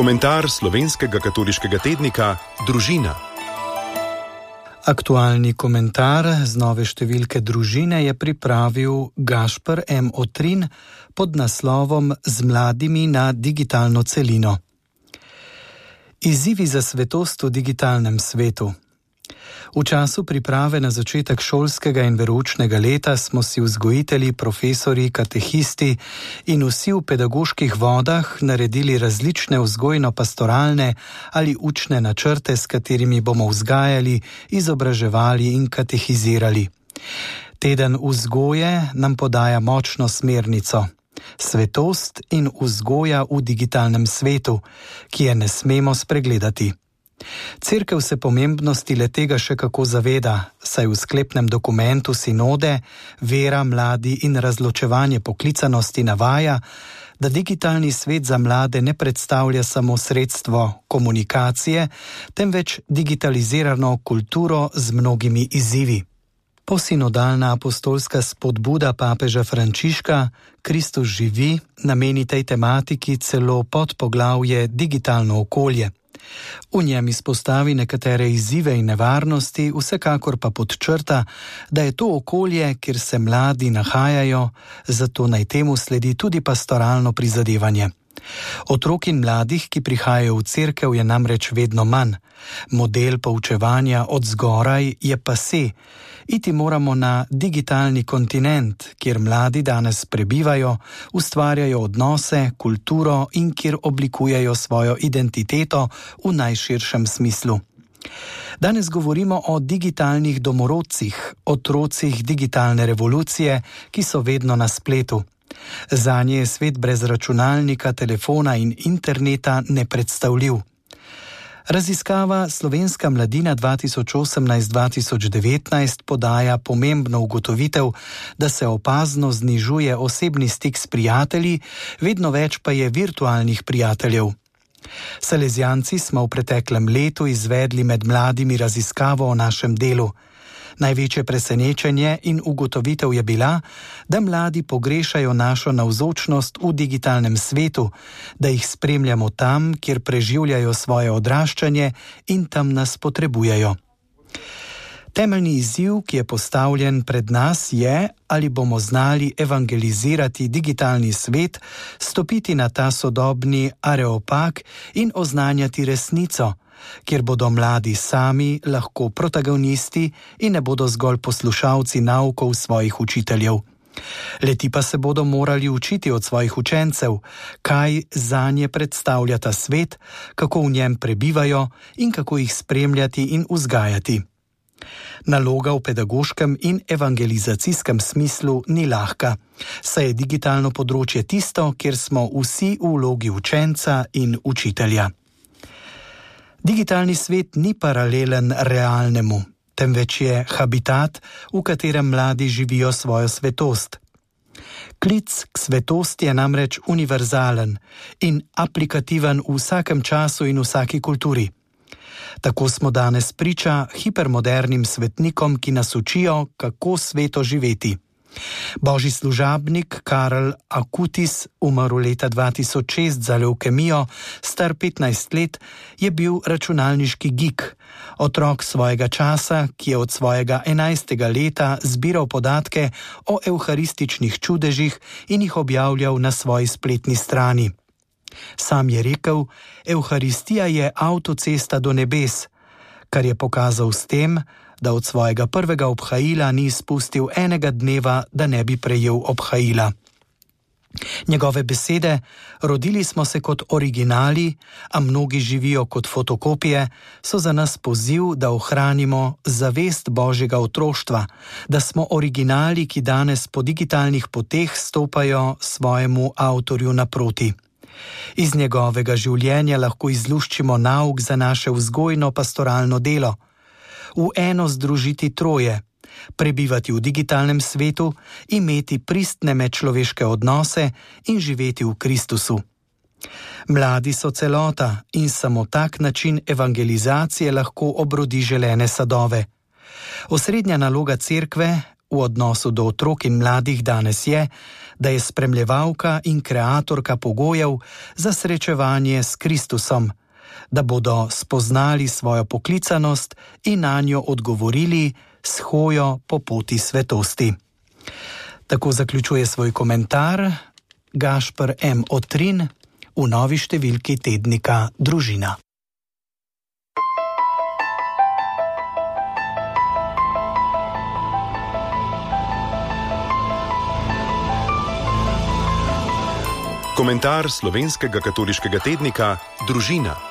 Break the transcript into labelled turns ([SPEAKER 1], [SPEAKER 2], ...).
[SPEAKER 1] Komentar slovenskega katoliškega tednika Družina.
[SPEAKER 2] Aktualni komentar z nove številke Družine je pripravil Gašper M. Otrin pod naslovom Z mladimi na digitalno celino. Izzivi za svetost v digitalnem svetu. V času priprave na začetek šolskega in veroučnega leta smo si vzgojitelji, profesori, katehisti in vsi v pedagoških vodah naredili različne vzgojno-pastoralne ali učne načrte, s katerimi bomo vzgajali, izobraževali in katehizirali. Teden vzgoje nam podaja močno smernico. Svetost in vzgoja v digitalnem svetu, ki je ne smemo spregledati. Cerkev se pomembnosti le-tega še kako zaveda, saj v sklepnem dokumentu sinode Vera, mladi in razločevanje poklicanosti navaja, da digitalni svet za mlade ne predstavlja samo sredstvo komunikacije, temveč digitalizirano kulturo z mnogimi izzivi. Posinodalna apostolska spodbuda papeža Frančiška Kristus živi nameni tej tematiki celo podpoglavje Digitalno okolje. V njem izpostavi nekatere izzive in nevarnosti, vsekakor pa podčrta, da je to okolje, kjer se mladi nahajajo, zato naj temu sledi tudi pastoralno prizadevanje. Otrok in mladih, ki prihajajo v cerkev, je namreč vedno manj. Model poučevanja od zgoraj je pasé. Iti moramo na digitalni kontinent, kjer mladi danes prebivajo, ustvarjajo odnose, kulturo in kjer oblikujejo svojo identiteto v najširšem smislu. Danes govorimo o digitalnih domorodcih, otrocih digitalne revolucije, ki so vedno na spletu. Zanje je svet brez računalnika, telefona in interneta nepredstavljiv. Raziskava Slovenska mladina 2018-2019 podaja pomembno ugotovitev, da se opazno znižuje osebni stik s prijatelji, vedno več pa je virtualnih prijateljev. Salezijanci smo v preteklem letu izvedli med mladimi raziskavo o našem delu. Največje presenečenje in ugotovitev je bila, da mladi pogrešajo našo navzočnost v digitalnem svetu, da jih spremljamo tam, kjer preživljajo svoje odraščanje in tam nas potrebujejo. Temeljni izziv, ki je postavljen pred nas, je, ali bomo znali evangelizirati digitalni svet, stopiti na ta sodobni areopag in oznanjati resnico, kjer bodo mladi sami lahko protagonisti in ne bodo zgolj poslušalci naukov svojih učiteljev. Leti pa se bodo morali učiti od svojih učencev, kaj zanje predstavlja ta svet, kako v njem prebivajo in kako jih spremljati in vzgajati. Naloga v pedagoškem in evangelizacijskem smislu ni lahka, saj je digitalno področje tisto, kjer smo vsi v vlogi učenca in učitelja. Digitalni svet ni paralelen realnemu, temveč je habitat, v katerem mladi živijo svojo svetost. Klic k svetosti je namreč univerzalen in aplikativen v vsakem času in vsaki kulturi. Tako smo danes priča hipermodernim svetnikom, ki nas učijo, kako sveto živeti. Božji služabnik Karel Akutis, umrl leta 2006 za levkemijo, star 15 let, je bil računalniški geek, otrok svojega časa, ki je od svojega 11. leta zbiral podatke o evharističnih čudežih in jih objavljal na svoji spletni strani. Sam je rekel, evharistija je avtocesta do nebes, kar je pokazal s tem, da od svojega prvega obhajila ni izpustil enega dneva, da ne bi prejel obhajila. Njegove besede, rodili smo se kot originali, a mnogi živijo kot fotokopije, so za nas poziv, da ohranimo zavest Božjega otroštva, da smo originali, ki danes po digitalnih poteh stopajo svojemu avtorju naproti. Iz njegovega življenja lahko izluščimo nauk za naše vzgojno-pastoralno delo. V eno združiti troje, prebivati v digitalnem svetu, imeti pristne medčloveške odnose in živeti v Kristusu. Mladi so celota in samo tak način evangelizacije lahko obrodi želene sadove. Osrednja naloga cerkve v odnosu do otrok in mladih danes je, da je spremljevalka in kreatorka pogojev za srečevanje s Kristusom, da bodo spoznali svojo poklicanost in na njo odgovorili s hojo po poti svetosti. Tako zaključuje svoj komentar Gašper M. Otrin v novi številki tednika Družina.
[SPEAKER 1] Komentar slovenskega katoliškega tednika Družina.